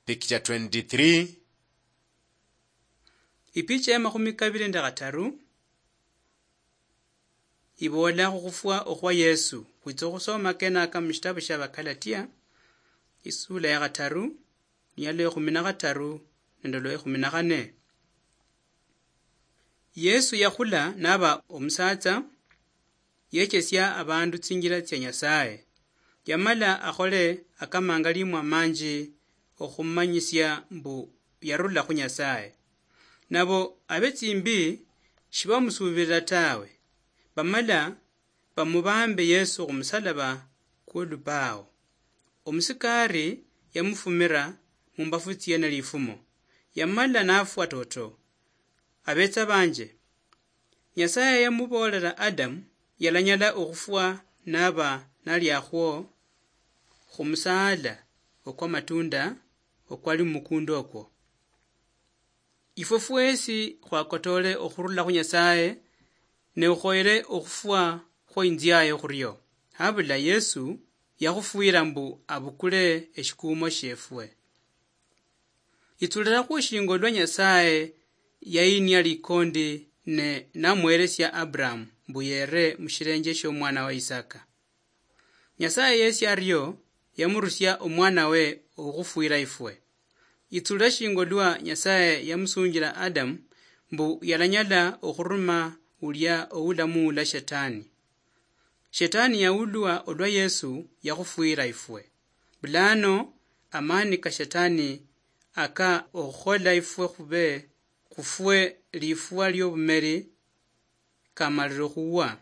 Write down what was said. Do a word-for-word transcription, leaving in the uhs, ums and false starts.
Picture twenty-three. Ipicha ya makhumi kabili nende khataru iboola khukhufwa okhwa Yesu. Khwitsa okhusoma kenaka mushitabu shia Bakalatia, isula ya khataru, niyalo ekhumi na khataru nende olwa ekhumi na khane. Yesu yakhula naba omusatsa, yechesia abandu tsinjila tsia Nyasaye. Yamala akhole akamangalimwa manji okhumanyisia mbu yarula khu Nyasaye. Nabo abetsimbi shibamusubirira tawe. Bamala bamubambe Yesu khumusalaba kwolubao. Omusikari yamufumira mumbafu tsiene lifumo. Yamala nafwa toto. Abetsa banje, Nyasaye yamuboolera Adamu yalanyala okhufwa naba nali akhwo khumusaala okwamatunda okwali mumukunda okwo. Ifwe fwesi khwakotoole okhurula khu Nyasaye, ne khukhoyere okhufwa khwo inziaye khurio. Habula Yesu yakhufwira mbu abukule eshikuumo shiefwe. Itsulira khushingo lwa Nyasaye yayinia likondi ne namuheresia Abraham mbu yere mushirenje shiomwana wa Isaka. Nyasaye yesi ario yamurusia omwana we okhufwira ifwe. Itsulira shingo lwa Nyasaye yamusunjira Adamu mbu yalanyala okhuruma ulia oulamuula Shetani. Shetani yaulwa olwa Yesu yakhufwira ifwe. Bulano amani ka Shetani aka okhukhola ifwe khube khufwe lifwa liobumeri kamalire okhuwa.